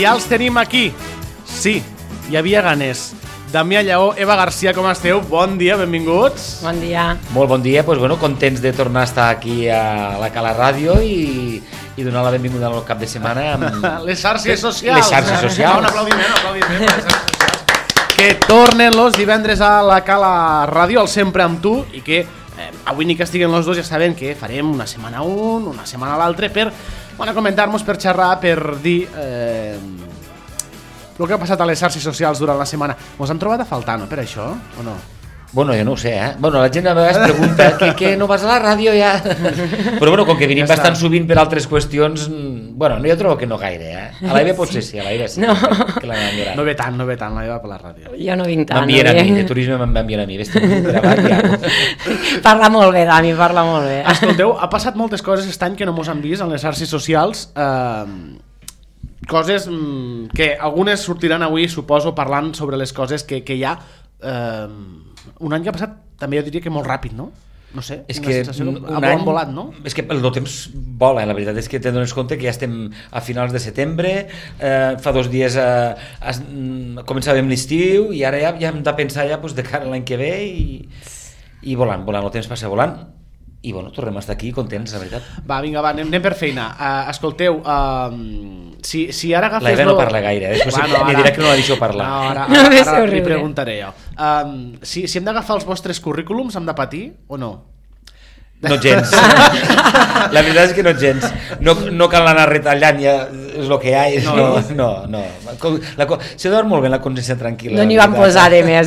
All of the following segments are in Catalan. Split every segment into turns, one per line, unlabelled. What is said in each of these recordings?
ja els tenim aquí. Sí, hi havia ganes. Damià Lleó, Eva Garcia, com esteu? Bon dia, benvinguts.
Bon dia.
Molt bon dia, doncs, contents de tornar a estar aquí a la Cala Ràdio i donar la benvinguda al cap de setmana amb...
Les xarxes socials.
Les xarxes socials.
Un aplaudiment. Que tornen los divendres a la Cala Ràdio, al Sempre amb tu, i que avui ni que estiguen els dos ja saben que farem una setmana un, una setmana l'altre per comentar-nos, per xerrar, per dir el que ha passat a les xarxes socials durant la setmana. Mos han trobat a faltar, no, per això, o no?
Bueno, jo no ho sé, la gent a vegades pregunta que no vas a la ràdio ja... Però com que venim bastant sovint per altres qüestions, jo trobo que no gaire, A l'Eva potser sí, a l'Eva sí.
No.
Que
no ve tant l'Eva per la ràdio.
Jo no vinc tant.
M'envien a mi, de turisme m'envien a mi.
Parla molt bé, Dami, parla molt bé.
Escolteu, ha passat moltes coses aquest any que no mos han vist en les xarxes socials, coses que algunes sortiran avui, suposo, parlant sobre les coses que hi ha. Un any que ha passat també jo diria que molt ràpid, no? No sé,
és que
un any volat, no?
És que el temps vola, la veritat és que te dones compte que ja estem a finals de setembre, fa 2 dies començàvem l'estiu i ara ja hem de pensar ja de cara a l'any que ve i volant, el temps passa volant. I tornem a estar aquí contents, la veritat. Va,
vinga, anem per feina. Escolteu, si ara agafes...
L'Eva no parla gaire, després me dirà que no la deixo parlar.
No, ara li preguntaré jo. Si hem d'agafar els vostres currículums, hem de patir o no?
No gens. La veritat és que no gens. No cal anar retallant, ja és el que hi ha. No. Se dorm molt bé la consciència tranquil·la.
No n'hi van posar de més,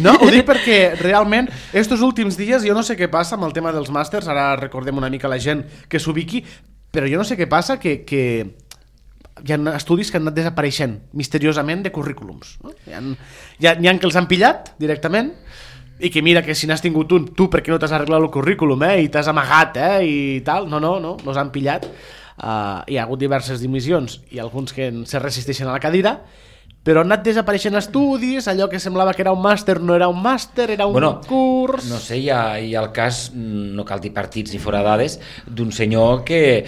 No, ho dic perquè realment estos últims dies jo no sé què passa amb el tema dels màsters, ara recordem una mica la gent que s'ubiqui, però jo no sé què passa que hi ha estudis que han anat desapareixent misteriosament de currículums. Hi ha que els han pillat directament i que mira que si n'has tingut un, tu perquè no t'has arreglat el currículum i t'has amagat i tal, no, els han pillat. Hi ha hagut diverses dimissions i alguns que se resisteixen a la cadira, però han anat desapareixent estudis, allò que semblava que era un màster no era un màster, era un curs...
No sé, hi ha el cas, no cal dir partits ni fora dades, d'un senyor que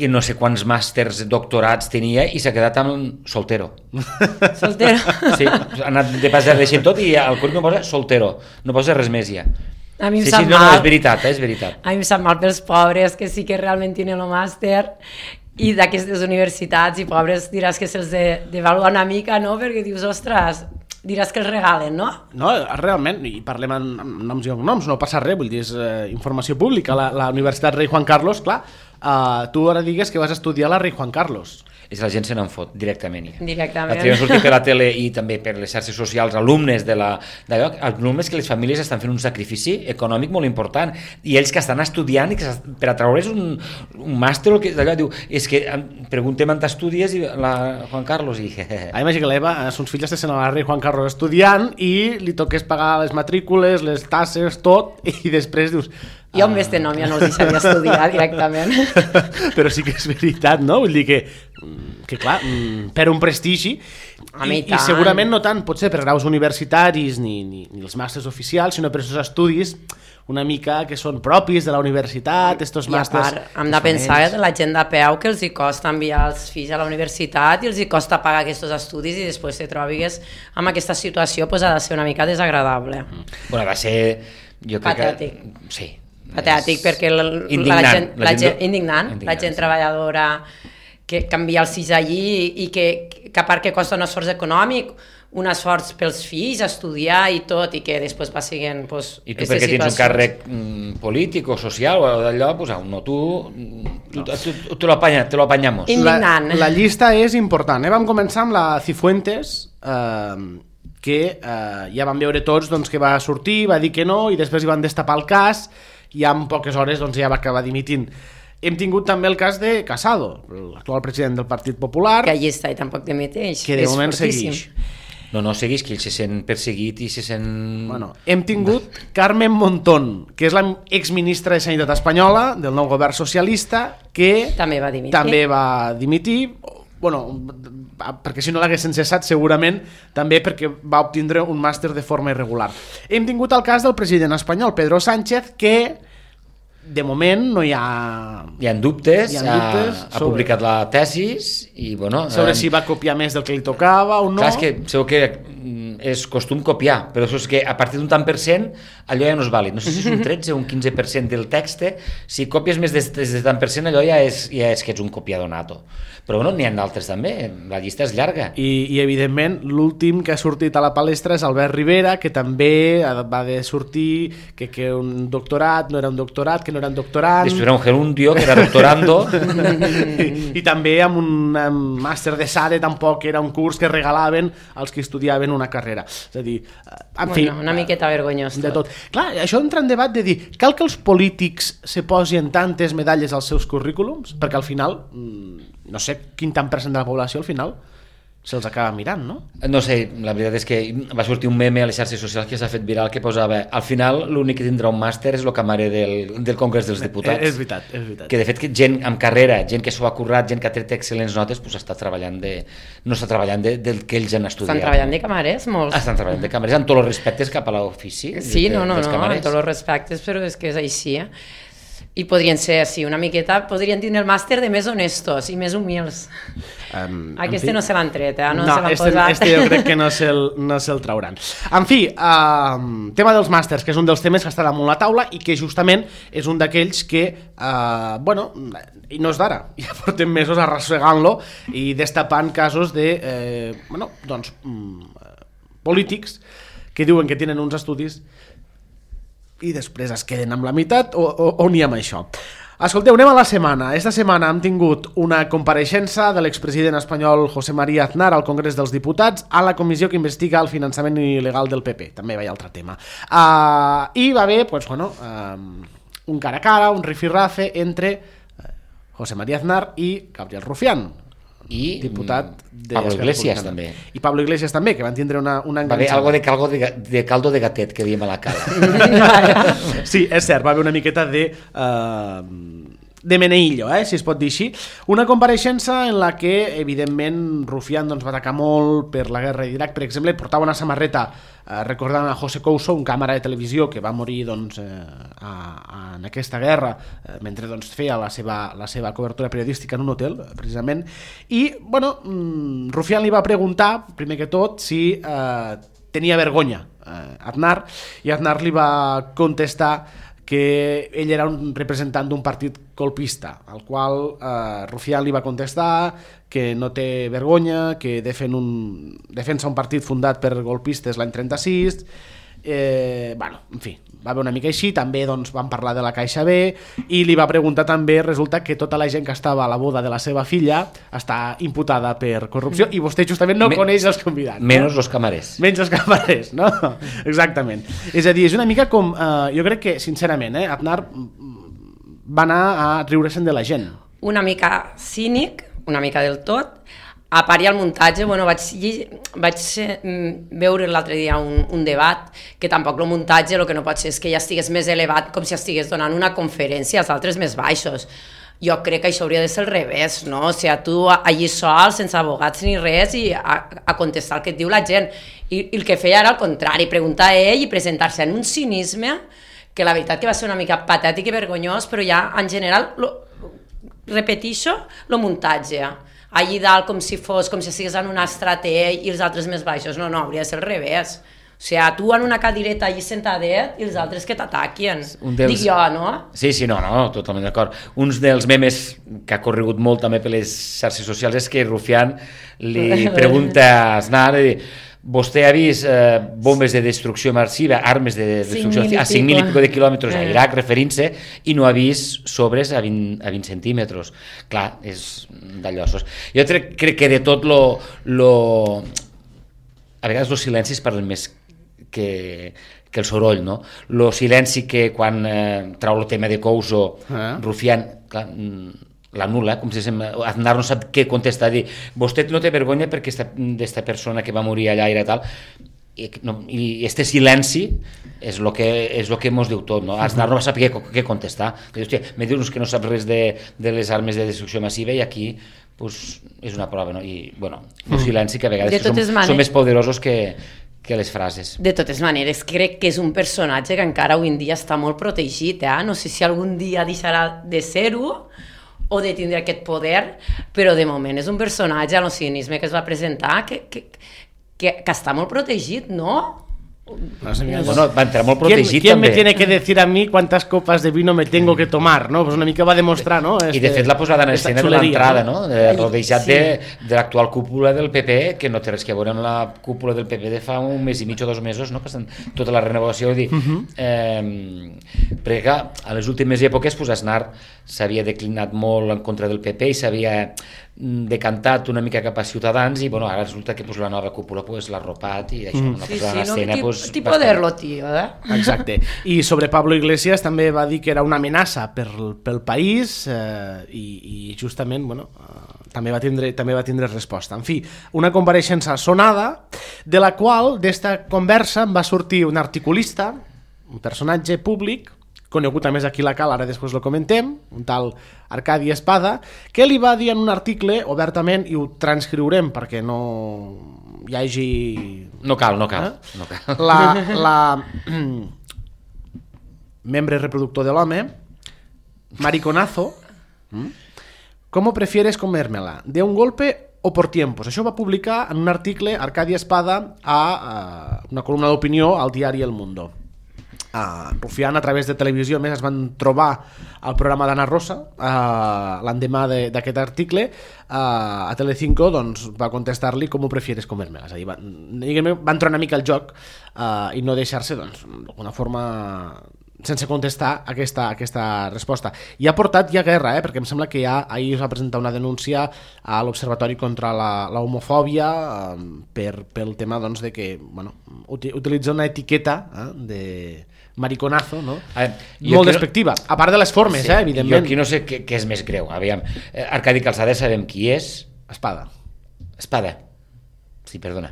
no sé quants màsters, doctorats tenia i s'ha quedat amb soltero.
Soltero?
Sí, ha anat de pas deixant tot i al currículum posa soltero, no posa res més ja.
A mi em sap mal.
No, és veritat.
A mi em sap mal pels pobres que sí que realment tenen el màster i d'aquestes universitats i pobres diràs que se'ls devalua una mica, no? Perquè dius, ostres, diràs que els regalen, no?
No, realment, i parlem amb noms i cognoms, no passa res, vull dir, és informació pública. La Universitat Rei Juan Carlos, clar, tu ara digues que vas estudiar a la Rei Juan Carlos.
És la gent se n'en fot directament.
Directament.
L'altre dia han sortit per la tele i també per les xarxes socials alumnes alumnes que les famílies estan fent un sacrifici econòmic molt important i ells que estan estudiant i que per atraure's un màster o d'allò diu, és que preguntem on t'estudies i la Juan Carlos i...
Imagina que l'Eva, sus filles estan a la Rei Juan Carlos estudiant i li toques pagar les matrícules, les tasses, tot, i després dius...
Jo amb este nom ja no els deixaria estudiar directament.
Però sí que és veritat, no? Vull dir que clar, per un prestigi i segurament no tant potser per graus universitaris ni els màsters oficials, sinó per aquests estudis una mica que són propis de la universitat, estos màsters...
I a part, hem de pensar que la gent de peu que els hi costa enviar els fills a la universitat i els hi costa pagar aquests estudis i després te trobis amb aquesta situació, doncs ha de ser una mica desagradable.
Bueno, va ser...
Patètic.
Sí.
Patètic, perquè la gent treballadora que canvia els fills allí i que a part que costa un esforç econòmic, un esforç pels fills, estudiar i tot, i que després va siguent...
I tu perquè tens un càrrec polític o social o d'allò, no, tu te lo apanyamos.
Indignant.
La llista és important. Vam començar amb la Cifuentes, que ja vam veure tots que va sortir, va dir que no, i després hi van destapar el cas, i en poques hores ja va acabar dimitint. Hem tingut també el cas de Casado, l'actual president del Partit Popular,
que allí està i tampoc dimiteix,
que de moment segueix.
No segueix, que ell se sent perseguit i se sent...
Bueno, hem tingut Carmen Montón, que és l'exministra de Sanitat espanyola del nou govern socialista, que
també va dimitir.
Bueno, perquè si no l'haguessin cessat segurament també perquè va obtindre un màster de forma irregular. Hem tingut el cas del president espanyol Pedro Sánchez, que de moment no hi ha...
Hi ha dubtes, ha publicat la tesis i, bueno...
Sobre si va copiar més del que li tocava o no...
Clar, és que segur que és costum copiar, però això és que a partir d'un tant per cent allò ja no és vàlid. No sé si és un 13 o un 15% del text, si copies més de tant per cent allò ja és que ets un copiador nato. Però bueno, n'hi ha d'altres també, la llista és llarga.
I evidentment l'últim que ha sortit a la palestra és Albert Rivera, que també va de sortir que un doctorat no era un doctorat, que no era un doctorant...
Després era un gerundio, que era doctorando...
I també amb un màster de SADE tampoc era un curs que regalaven als que estudiaven una carrera. És a dir, en fi...
Una miqueta vergonyós
de tot. Clar, això entra en debat de dir, cal que els polítics se posin tantes medalles als seus currículums? Perquè al final, no sé quin tant % de la població al final se'ls acaba mirant, no?
No sé, la veritat és que va sortir un meme a les xarxes socials que s'ha fet viral que posava, al final l'únic que tindrà un màster és el camaré del Congrés dels Diputats.
És veritat, és veritat.
Que de fet gent amb carrera, gent que s'ho ha currat, gent que ha tret excel·lents notes, pues està treballant no està treballant del que ells han estudiat.
Estan treballant de camarers, molts.
Estan treballant de camarers, amb tots els respectes cap a l'ofici.
Sí, no, amb tots els respectes, però és que és així, I podrien ser, sí, una miqueta, podrien tenir el màster de més honestos i més humils. Aquest no se l'han tret, no se l'han posat.
Este jo crec que no se'l trauran. En fi, tema dels màsters, que és un dels temes que està damunt la taula i que justament és un d'aquells que, bueno, i no és d'ara, ja portem mesos arrossegant-lo i destapant casos de, bueno, doncs, polítics que diuen que tenen uns estudis i després es queden amb la meitat o n'hi ha amb això. Escolteu, anem a la setmana. Esta setmana hem tingut una compareixença de l'expresident espanyol José María Aznar al Congrés dels Diputats a la comissió que investiga el finançament il·legal del PP. També hi ha altre tema. I va haver, pues, bueno, un cara a cara, un rifirrafe entre José María Aznar i Gabriel Rufián,
i
diputat de
Pablo Iglesias també.
I Pablo Iglesias també, que van tindre una enganxada.
Va haver algo de caldo de gatet, que diem a la cala.
Sí, és cert, va haver una miqueta de meneillo, si es pot dir així. Una compareixença en la que, evidentment, Rufián va atacar molt per la guerra d'Iraq. Per exemple, portava una samarreta recordant a José Couso, un càmera de televisió que va morir en aquesta guerra mentre feia la seva cobertura periodística en un hotel, precisament. I, bueno, Rufián li va preguntar, primer que tot, si tenia vergonya Aznar, i Aznar li va contestar que ell era un representant d'un partit colpista, al qual Rufián li va contestar que no té vergonya, que defensa un partit fundat per golpistes l'any 36. Bueno, en fi, va haver una mica així. També van parlar de la Caixa B i li va preguntar també, resulta que tota la gent que estava a la boda de la seva filla està imputada per corrupció i vostè justament no coneix els convidats.
Menys els camarers.
Menys els camarers, no? Exactament. És a dir, és una mica com... jo crec que, sincerament, Aznar va anar a riure-se'n de la gent.
Una mica cínic, una mica del tot. A part i al muntatge, bueno, vaig veure l'altre dia un debat que tampoc el muntatge el que no pot ser és que ja estigués més elevat com si estigués donant una conferència, els altres més baixos. Jo crec que això hauria de ser al revés, no? O sigui, tu allí sol, sense abogats ni res, i a contestar el que et diu la gent. I el que feia era al contrari, preguntar a ell i presentar-se en un cinisme que la veritat que va ser una mica patètic i vergonyós, però ja en general, repetixo, el muntatge. Allí dalt com si estigués en un estrater i els altres més baixos. No, hauria de ser al revés. O sigui, tu en una cadireta allí sentadet i els altres que t'ataquen. Dic jo, no?
Sí, no, totalment d'acord. Uns dels memes que ha corregut molt també per les xarxes socials és que Rufián li pregunta a Aznar, vostè ha vist bombes de destrucció massiva, armes de destrucció a 5.000 i pico de quilòmetres a Iraq, referint-se, i no ha vist sobres a 20 centímetres. Clar, és d'allossos. Jo crec que de tot a vegades els silencis parlen més que el soroll, no? El silenci que quan trau el tema de Couso, Rufián, clar, l'anul·la, com si Aznar no sap què contestar, dir, vostè no té vergonya perquè aquesta persona que va morir allà era tal, i este silenci és el que mos diu tot, no? Aznar no va saber què contestar. Hòstia, me dius que no sap res de les armes de destrucció massiva i aquí és una prova, no? I, bueno, un silenci que a vegades són més poderosos que les frases.
De totes maneres, crec que és un personatge que encara avui en dia està molt protegit, no sé si algun dia deixarà de ser-ho o de tindre aquest poder, però de moment és un personatge a l'oceanisme que es va presentar que està molt protegit, no?
Bueno, va entrar molt protegit
¿Quién
també.
me tiene que decir a mí cuántas copas de vino me tengo que tomar? ¿No? Pues una mica va demostrar, no?
I de fet la posada en escena de l'entrada, no? Rodejat
Sí.
de l'actual cúpula del PP, que no té res que veure amb la cúpula del PP de fa un mes i mig o 2 mesos, no? Que estan tota la renovació, dir, perquè clar, a les últimes èpoques pues, Aznar s'havia declinat molt en contra del PP i s'havia decantat una mica cap a Ciutadans i bueno, ara resulta que pues, la nova cúpula pues, l'ha arropat i això, una posada en escena pues,
ti poderlo, tio,
Exacte. I sobre Pablo Iglesias també va dir que era una amenaça pel país i justament, bueno, també va tindre resposta. En fi, una compareixença sonada de la qual d'esta conversa va sortir un articulista, un personatge públic, conegut a més aquí a la Cal, ara després lo comentem, un tal Arcadi Espada, que li va dir en un article obertament, i ho transcriurem perquè no hi hagi...
No cal.
La membre reproductor de l'home, mariconazo, ¿cómo prefieres comérmela? ¿De un golpe o por tiempos? Això va publicar en un article Arcadi Espada a una columna d'opinió al diari El Mundo. Rufián, a través de televisió, més es van trobar al programa d'Anna Rosa l'endemà d'aquest article a Telecinco, doncs va contestar-li com ho prefieres comer-me-la. És a dir, va entrar una mica al joc i no deixar-se, doncs, d'alguna forma sense contestar aquesta resposta. I ha portat ja guerra, perquè em sembla que ahir es va presentar una denúncia a l'Observatori contra la homofòbia pel tema doncs, de que utilitza una etiqueta de mariconazo, no? Molt despectiva, a part de les formes,
sí,
evidentment.
Jo aquí no sé què és més greu. Aviam, Arcadi Calçada sabem qui és.
Espada. Sí,
perdona.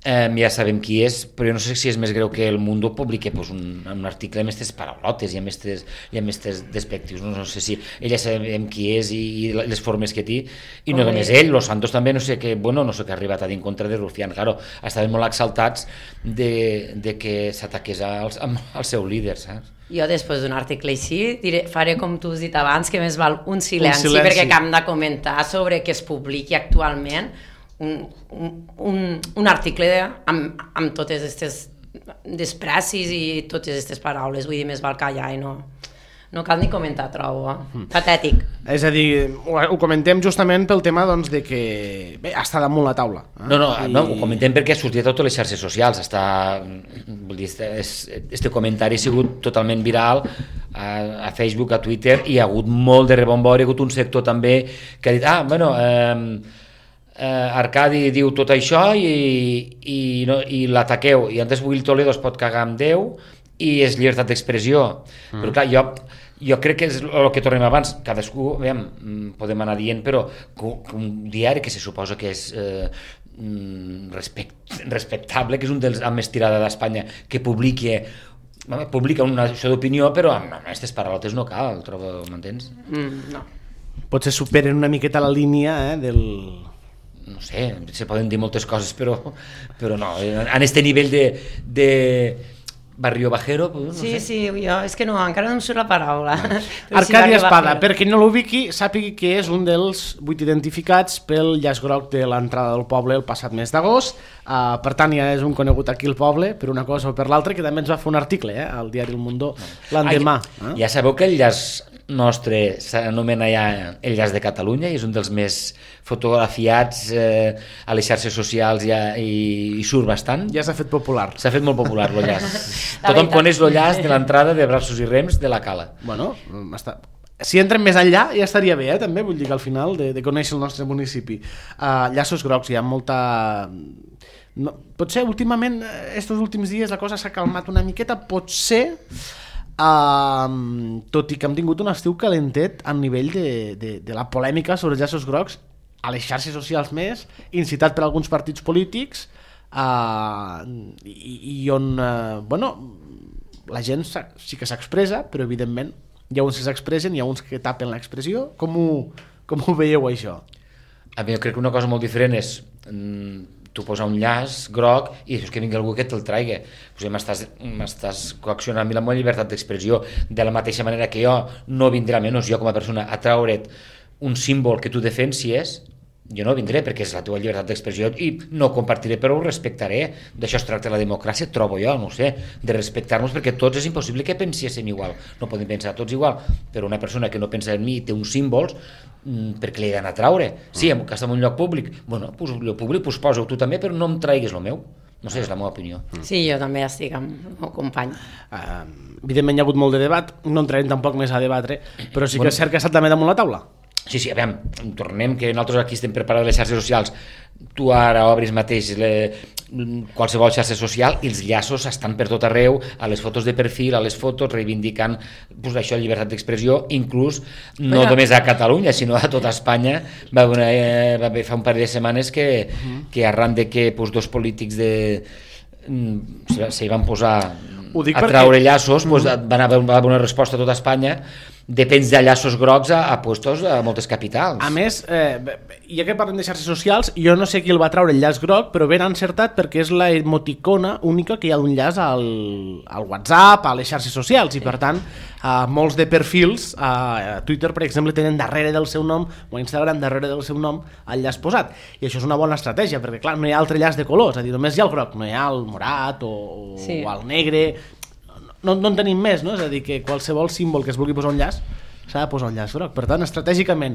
Ja sabem qui és, però jo no sé si és més greu que el Mundo publiqui pues, un article amb aquestes paraulotes i amb aquestes despectius. No sé si ella sabem qui és i les formes que té, i no només ell, Los Santos també, no sé què ha arribat a dir en contra de Rufián. Claro, estaven molt exaltats de que s'ataqués als seus líders, saps?
Jo després d'un article així faré com tu has dit abans, que més val un silenci. Perquè hem de comentar sobre què es publiqui actualment un article amb totes aquestes desprecis i totes aquestes paraules. Vull dir, més val callar i no cal ni comentar, trobo. Patètic.
És a dir, ho comentem justament pel tema doncs, de que està damunt la taula.
No, ho comentem perquè ha sortit a totes les xarxes socials. Este comentari ha sigut totalment viral a Facebook, a Twitter, i hi ha hagut molt de rebombori, hi ha hagut un sector també que ha dit, Arcadi diu tot això i l'ataqueu, i antes Will Toledo es pot cagar amb Déu i és llibertat d'expressió. Però clar, jo crec que és el que tornem abans, cadascú, podem anar dient, però un diari que se suposa que és respectable, que és un dels amb més tirada d'Espanya, que publica una això d'opinió, però amb aquestes paraulotes no cal, trobo, m'entens?
No.
Potser superen una miqueta la línia del...
No sé, se poden dir moltes coses, però no, en este nivell de barrio bajero, no sé.
Sí, jo és que no, encara no em surt la paraula.
Arcadi Espada, per qui no l'ubiqui, sàpigui que és un dels 8 identificats pel llaç groc de l'entrada del poble el passat mes d'agost. Per tant, ja és un conegut aquí al poble, per una cosa o per l'altra, que també ens va fer un article al diari El Mundo l'endemà.
Ja sabeu que el llaç nostre s'anomena ja el llaç de Catalunya i és un dels més fotografiats a les xarxes socials i surt bastant.
Ja s'ha fet popular.
S'ha fet molt popular el llaç. Tothom coneix el llaç de l'entrada de Braços i Rems de la Cala.
Bueno, si entrem més enllà ja estaria bé, també, vull dir que al final de conèixer el nostre municipi. Llaços grocs, hi ha molta... No, potser últimament, estos últims dies la cosa s'ha calmat una miqueta, potser... tot i que hem tingut un estiu calentet a nivell de la polèmica sobre els llaços grocs a les xarxes socials més, incitat per alguns partits polítics i on la gent sí que s'expressa, però evidentment hi ha uns que s'expressen, hi ha uns que tapen l'expressió. Com ho veieu això?
A mi jo crec que una cosa molt diferent és tu posa un llaç groc i dius que vingui algú que te'l traigui. M'estàs coaccionant la meva llibertat d'expressió, de la mateixa manera que jo no vindré, almenys jo com a persona, a traure't un símbol que tu defensies. Jo no vindré perquè és la teva llibertat d'expressió i no compartiré, però ho respectaré. D'això es tracta la democràcia, trobo jo, no ho sé, de respectar-nos, perquè tots és impossible que penséssim igual. No podem pensar tots igual, però una persona que no pensa en mi té uns símbols, perquè li he d'anar a traure. Sí, que està en un lloc públic. Bueno, pues, el públic, pues, posa-ho tu també, però no em traiguis el meu. No sé, és la meva opinió.
Sí, jo també estic amb el meu company.
Evidentment hi ha hagut molt de debat, no entrarem tampoc més a debatre, però sí que és cert que ha estat també damunt la taula.
Sí, aviam, tornem que nosaltres aquí estem preparats les xarxes socials. Tu ara obris mateix qualsevol xarxa social i els llaços estan per tot arreu, a les fotos de perfil, a les fotos, reivindicant pues, això, llibertat d'expressió, inclús no només a Catalunya, sinó a tota Espanya. Va haver fa un parell de setmanes que arran de que pues, dos polítics s'hi van posar a traure llaços, pues, va haver una resposta a tota Espanya de penys de llaços grocs a puestos a moltes capitals.
A més, ja que parlem de xarxes socials, jo no sé qui el va traure el llaç groc, però ben encertat perquè és la emoticona única que hi ha d'un llaç al WhatsApp, a les xarxes socials, i per tant molts de perfils a Twitter, per exemple, tenen darrere del seu nom, o a Instagram darrere del seu nom, el llaç posat, i això és una bona estratègia, perquè clar, no hi ha altre llaç de colors, és a dir, només hi ha el groc, no hi ha el morat o el negre. No en tenim més, no? És a dir, que qualsevol símbol que es vulgui posar un llaç s'ha de posar un llaç groc. Per tant, estratègicament,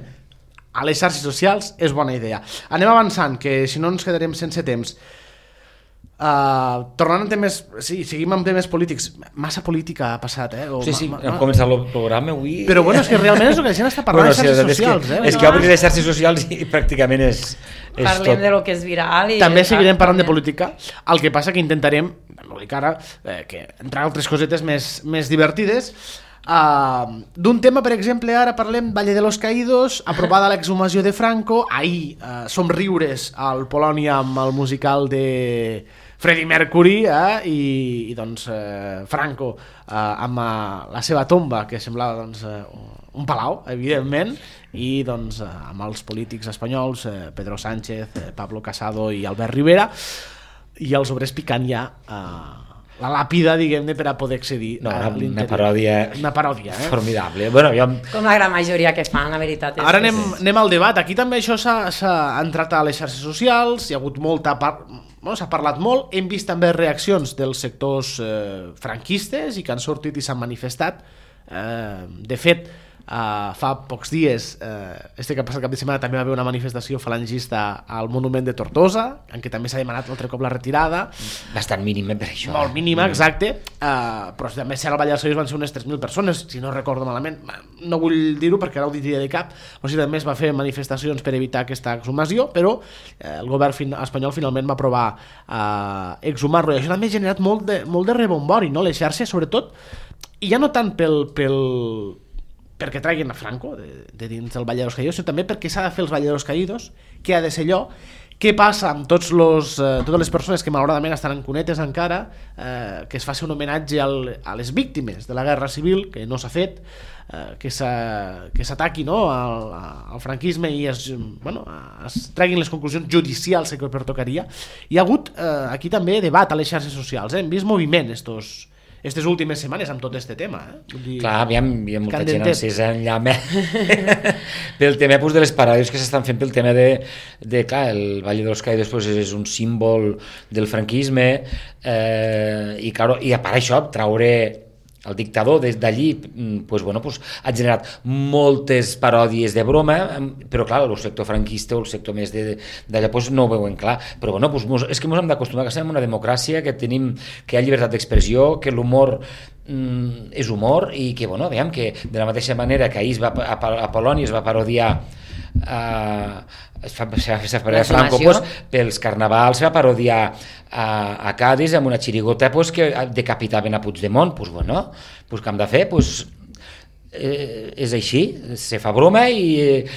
a les xarxes socials és bona idea. Anem avançant, que si no ens quedarem sense temps. Tornant a temes... Sí, seguim amb temes polítics. Massa política ha passat,
Sí, hem començat el programa avui...
Però bueno, és que realment és el que la gent està parlant de xarxes socials,
És que obrir les xarxes socials i pràcticament és
Parlem de lo que és viral i...
També seguirem parlant de política. El que passa que intentarem, no dic ara, que entrar altres cosetes més divertides. D'un tema, per exemple, ara parlem Valle de los Caídos, aprovada l'exhumació de Franco. Ahir somriures al Polònia amb el musical de Freddie Mercury i doncs Franco amb la seva tomba, que semblava doncs, un palau, evidentment, i doncs amb els polítics espanyols, Pedro Sánchez, Pablo Casado i Albert Rivera, i els obrers picant ja la làpida, diguem-ne, per a poder accedir a l'interior. Una paròdia
formidable.
Com la gran majoria que fan, la veritat.
Ara anem al debat. Aquí també això s'ha entrat a les xarxes socials, hi ha hagut s'ha parlat molt, hem vist també reaccions dels sectors franquistes i que han sortit i s'han manifestat. De fet, fa pocs dies, que ha passat cap de setmana, també va haver una manifestació falangista al monument de Tortosa, en què també s'ha demanat altre cop la retirada.
Bastant mínima per això.
Molt mínima, exacte, però també si al Valle dels Caídos van ser unes 3.000 persones, si no recordo malament. No vull dir-ho perquè ara ho diria de cap. O sigui, també es va fer manifestacions per evitar aquesta exhumació, però el govern espanyol finalment va aprovar exhumar-lo, i això també ha generat molt de rebombori, no? Les xarxes, sobretot, i ja no tant perquè traguin a Franco de dins del Valle de los Caídos, sinó també perquè s'ha de fer els Valle de los Caídos, que ha de ser allò. Què passa amb totes les persones que malauradament estan en cunetes encara, que es faci un homenatge a les víctimes de la Guerra Civil, que no s'ha fet, que s'ataqui, no, al franquisme i es treguin les conclusions judicials que pertocaria. Hi ha hagut aquí també debat a les xarxes socials, hem vist moviment aquestes últimes setmanes amb tot aquest tema.
Clar, hi ha molta gent encesa en llama pel tema de les paròdies que s'estan fent pel tema clar, el Valle de los Caídos és un símbol del franquisme i a part això, traure el dictador des d'allí ha generat moltes paròdies de broma, però clar, el sector franquista o el sector més d'allà no ho veuen clar, però és que ens hem d'acostumar que estem en una democràcia, que tenim, que hi ha llibertat d'expressió, que l'humor és humor i que, veiem que de la mateixa manera que ahir a Polònia es va parodiar Franco, pels carnavals va parodiar a Cádiz amb una xirigota que decapitaven a Puigdemont. Què hem de fer? És així, se fa broma i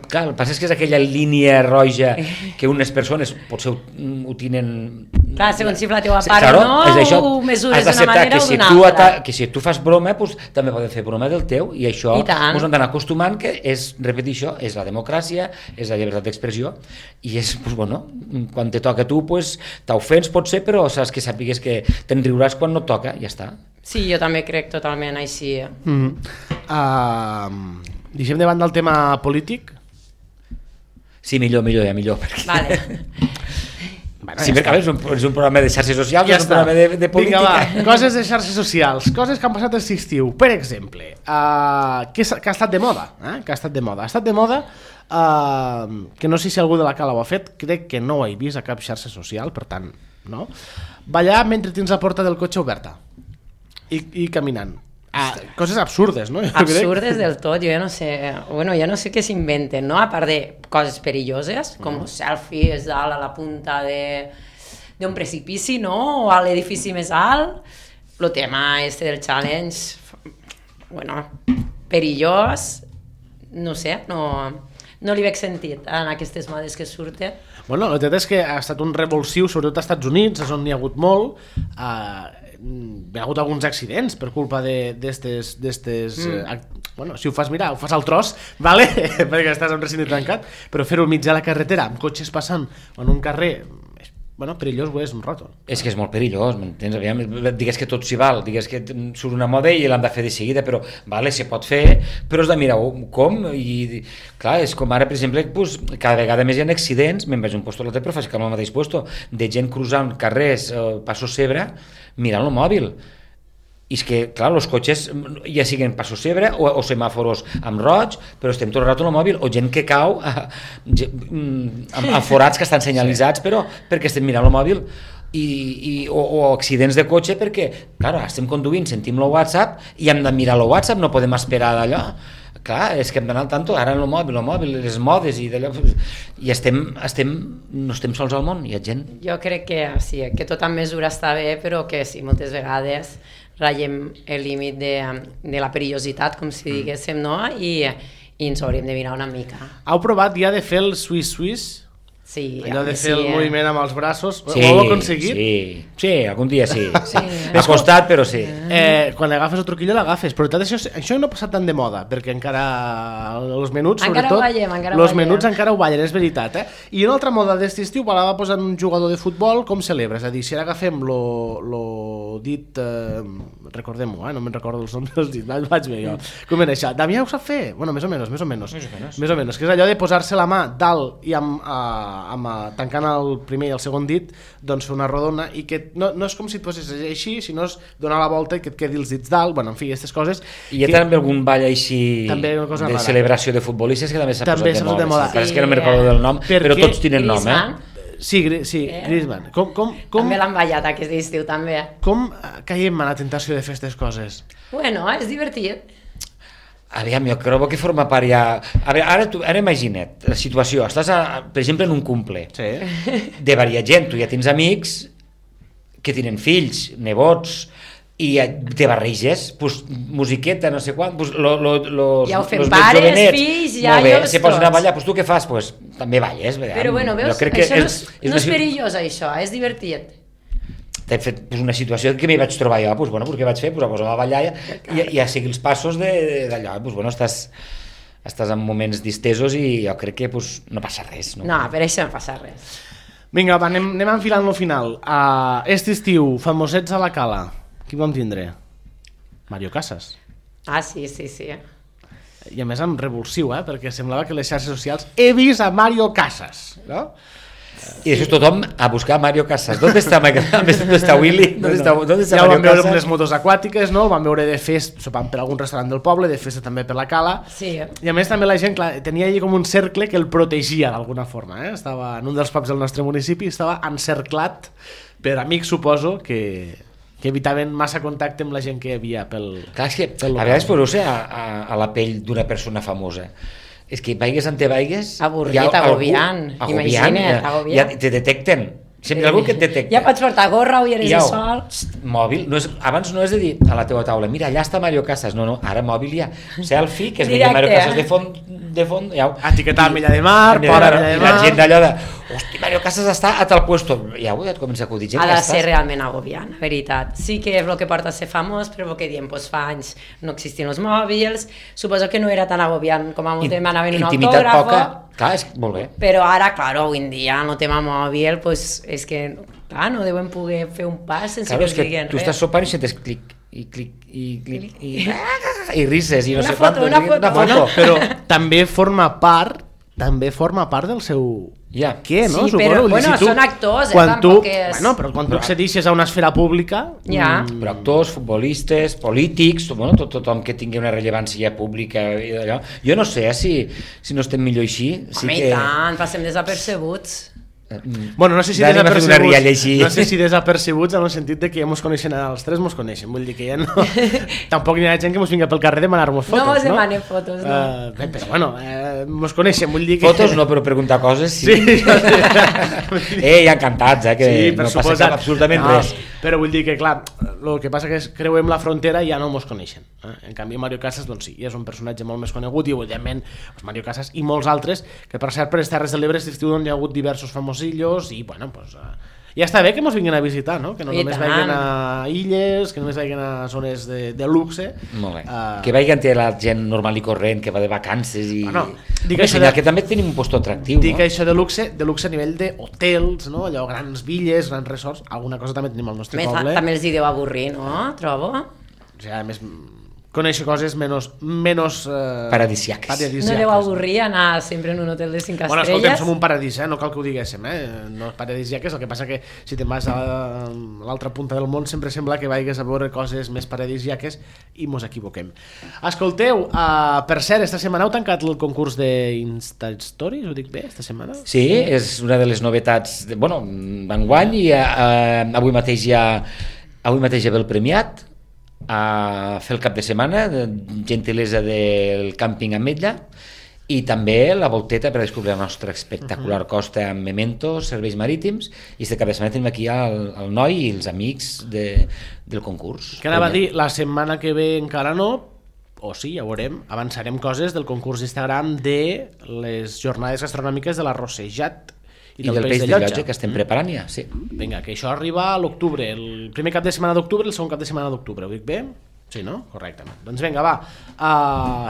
clar, el que passa és que és aquella línia roja que unes persones potser ho tenen
Clar, segons si la teva
Sí,
part
claro,
o no,
és això,
ho mesures
has
d'una
d'acceptar
manera
que
o
si
d'una
tu
altra.
que si tu fas broma, pues, també poden fer broma del teu, i això
I tant.
ens han d'anar acostumant, que és, repetir això, és la democràcia, és la llibertat d'expressió, i és, pues, bueno, quan te toca a tu, pues, t'ofens potser, però saps que sàpigues que te'n riuràs quan no et toca, ja està.
Sí, jo també crec totalment així.
Deixem de banda el tema polític.
Sí, millor, perquè...
Vale.
Bueno,
Sí, perquè a veure, és un programa de xarxes socials,
Ja
és un
està.
programa de política.
Vinga, va, coses de xarxes socials, coses que han passat aquest estiu. Per exemple, que ha estat de moda, que ha estat de moda. Ha estat de moda, que no sé si algú de la Cala ho ha fet, crec que no ho he vist a cap xarxa social, per tant, no? Ballar mentre tens la porta del cotxe oberta i caminant. Coses absurdes, no? Jo
Absurdes del tot, jo no sé, bueno, jo no sé què s'inventen, no? A part de coses perilloses, com los selfies dalt a la punta d'un precipici, no? O a l'edifici més alt, el tema este del challenge, bueno, perillós, no sé, no li veig sentit en aquestes modes que surten.
Bueno, la veritat és que ha estat un revulsiu, sobretot als Estats Units, és on n'hi ha hagut molt. Hi ha hagut alguns accidents per culpa d'estes... Bueno, si ho fas, mira, ho fas al tros, vale? Perquè estàs en un recinte tancat, però fer-ho al mig de la carretera, amb cotxes passant en un carrer... Bueno, perillós ho és un rato.
És que és molt perillós, m'entens? Aviam, digues que tot s'hi val, digues que surt una moda i l'han de fer de seguida, però vale, se pot fer, però has de mirar com, i clar, és com ara, per exemple, pues, cada vegada més hi ha accidents, me'n vaig a un puesto a l'altre, però faig que al mateix puesto, de gent cruzant carrers, Passo Cebre, mirant el mòbil. I és que, clar, els cotxes ja siguen Passo Cebre o semàforos amb roig, però estem tot el rato al mòbil, o gent que cau amb forats que estan senyalitzats, però perquè estem mirant el mòbil, o accidents de cotxe perquè, clar, estem conduint, sentim el WhatsApp i hem de mirar el WhatsApp, no podem esperar d'allò. Clar, és que hem d'anar al tanto, ara en el mòbil, les modes i d'allò, i no estem sols al món, hi ha gent.
Jo crec que sí, que tot amb mesura està bé, però que sí, moltes vegades ratllem el límit de la perillositat, com si diguéssim, no? I ens hauríem de mirar una mica.
Heu provat ja de fer el Swiss?
Sí,
allò de fer el moviment amb els braços,
Sí,
ho heu aconseguit?
sí, algun dia sí. M'ha costat, però sí.
Quan l'agafes el truquillo l'agafes, però això no ha passat tant de moda, perquè encara els menuts,
encara
sobretot,
ho ballem,
els menuts encara ho ballen, és veritat. I una altra moda d'aquest estiu va posar un jugador de futbol com celebra, és a dir, si ara agafem lo dit, recordem-ho, no me'n recordo els noms dels dits, vaig bé jo. Com era això? Damià ho sap fer? Bueno, més o menys, que és allò de posar-se la mà dalt i tancant el primer i el segon dit, doncs fer una rodona, i que no és com si et poses així, sinó és donar la volta i que et quedi els dits dalt, bueno, en fi, aquestes coses.
I hi ha també algun ball així de celebració de futbolistes que també s'ha posat de moda. És que no me'n recordo del nom, però tots tenen nom,
Sí, Griezmann.
També l'han ballat aquest estiu, també.
Com caiem a la tentació de fer aquestes coses?
Bueno, és divertit.
Aviam, jo crec que forma part ja... Ara imagina't la situació, estàs, per exemple, en un cumple de varia gent, tu ja tens amics que tenen fills, nebots, i te barreges, pues, musiqueta, no sé quan, pues,
ja ho fem pares, fills, iaios,
se posen a ballar, pues, tu què fas? Pues, també balles.
Però bueno, veus, això no és perillós, això, és divertit.
T'he fet una situació que m'hi vaig trobar jo, doncs, bueno, què vaig fer? Pues, a posar a ballar i a seguir els passos d'allò, doncs, bueno, estàs en moments distesos i jo crec que pues, no passa res.
No, per això no passa res.
Vinga, va, anem enfilant lo final. Este estiu, famosets a la Cala, qui vam tindre? Mario Casas.
Sí.
I a més amb revulsiu, perquè semblava que les xarxes socials he vist a Mario Casas, no?
I això tothom a buscar Mario Casas. ¿Dónde está Willy? ¿Dónde está Mario Casas?
Ja el vam veure amb les motos aquàtiques, no? El vam veure de festa, sopant per algun restaurant del poble, de festa també per la Cala.
Sí.
I a més també la gent, clar, tenia allà com un cercle que el protegia d'alguna forma, Estava en un dels pubs del nostre municipi, estava encerclat per amics, suposo, que evitaven massa contacte amb la gent que hi havia pel...
Clar, és que a vegades poseu-se a la pell d'una persona famosa. És que vaigues on te vaigues...
Avorrit, agobiant. Imagina't, agobiant.
Ja te detecten. Sempre algú que et detecta.
Ja pots portar gorra, ulleres de sol...
Mòbil, abans no és de dir a la teva taula, mira, allà està Mario Casas, no, ara mòbil ja, selfie, que es veia Mario Casas de font, ja,
etiquetar Milla de Mar,
Milla de Mar, la gent d'allò de, hosti, Mario Casas està a tal puesto, ja et comença a acudir gent.
Ha de ser realment agobiant, veritat. Sí que és el que porta a ser famós, però el que diem, doncs fa anys no existien els mòbils, suposo que no era tan agobiant com a molt demanaven un autògrafo. Poca,
clar, és molt bé.
Però ara, clar, avui en dia, en el tema mòbil, doncs és que, clar, no deuen poder fer un pas sense que els diguin res.
Tu estàs sopant i sentes clic, i rises, i no sé
quant. Una foto.
Bueno, però també forma part del seu...
Ja.
Què, no?
Sí, però, bueno, són actors,
tampoc és... Bueno, però quan tu accedixes a una esfera pública...
Ja.
Però actors, futbolistes, polítics, bueno, tothom que tingui una rellevància pública i d'allò. Jo no sé si no estem millor així.
Home, i tant, passem desapercebuts.
Bueno, no sé si desapercebuts en el sentit de que ja mos coneixen els tres, mos coneixen, vull dir que ja no tampoc hi ha gent que mos vinga pel carrer a demanar-nos fotos,
no mos demanen fotos, no.
Però bueno, mos coneixen, vull dir que...
Fotos no, però preguntar coses sí. Encantats, que sí, no passa absolutament res.
Però vull dir que, clar, el que passa que és creuem la frontera i ja no mos coneixen. En canvi, Mario Casas, doncs sí, és un personatge molt més conegut i, evidentment, Mario Casas i molts altres, que per cert, per les Terres de l'Ebre és l'estiu on hi ha hagut diversos famosillos i, bueno, doncs... ja està bé que ens vinguin a visitar, no? Que no només vagin a illes, que només vagin a zones de luxe.
Molt bé. Que vagin la gent normal i corrent, que va de vacances i...
Bueno,
que també tenim un posto atractiu,
no? Dic això de luxe a nivell d'hotels, no? Allò, grans villes, grans resorts, alguna cosa també tenim al nostre poble.
També els hi deu avorrir, no? Trobo.
O sigui, a més... conèixer coses menys
paradisíaques.
No deu avorrir anar sempre en un hotel de 5 estrelles.
Bueno, escolta'm, som un paradís, no cal que ho diguéssim, no és paradisíaques, el que passa que si te'n vas a l'altra punta del món sempre sembla que vagis a veure coses més paradisíaques i mos equivoquem. Escolteu, per cert, esta setmana heu tancat el concurs d'Insta Stories, ho dic bé, esta setmana?
Sí, és una de les novetats, d'enguany, i avui mateix hi ha el premiat a fer el cap de setmana, gentilesa del càmping Ametlla, i també la volteta per descobrir la nostra espectacular costa amb mementos, serveis marítims, i aquest cap de setmana tenim aquí el noi i els amics del concurs.
Què anava a dir? La setmana que ve encara no, o sí, ja ho veurem, avançarem coses del concurs d'Instagram de les jornades gastronòmiques de la Rossejat
i del peix de llotja que estem preparant ja, sí.
Vinga, que això arriba a l'octubre, el primer cap de setmana d'octubre i el segon cap de setmana d'octubre, ho dic bé? Sí, no? Correctament. Doncs vinga, va,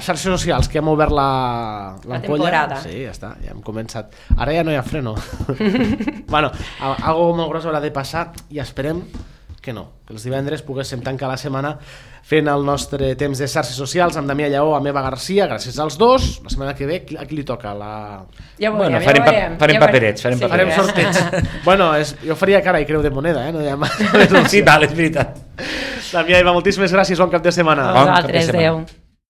xarxes socials, que hem obert l'ampolla.
Temporada.
Sí, ja està, ja hem començat. Ara ja no hi ha freno. Bueno, algo molt gros haurà de passar i esperem que no, que els divendres poguéssim tancar la setmana fent el nostre temps de xarxes socials amb Damià Lleó, amb Eva Garcia, gràcies als dos. La setmana que ve, a qui li toca?
Ja ho veurem,
farem paperets.
Farem sorteig. Bueno, jo faria cara i creu de moneda, no hi ha més.
Sí, val, és veritat.
Damià, Eva, moltíssimes gràcies, bon cap de setmana.
Vosaltres, adéu.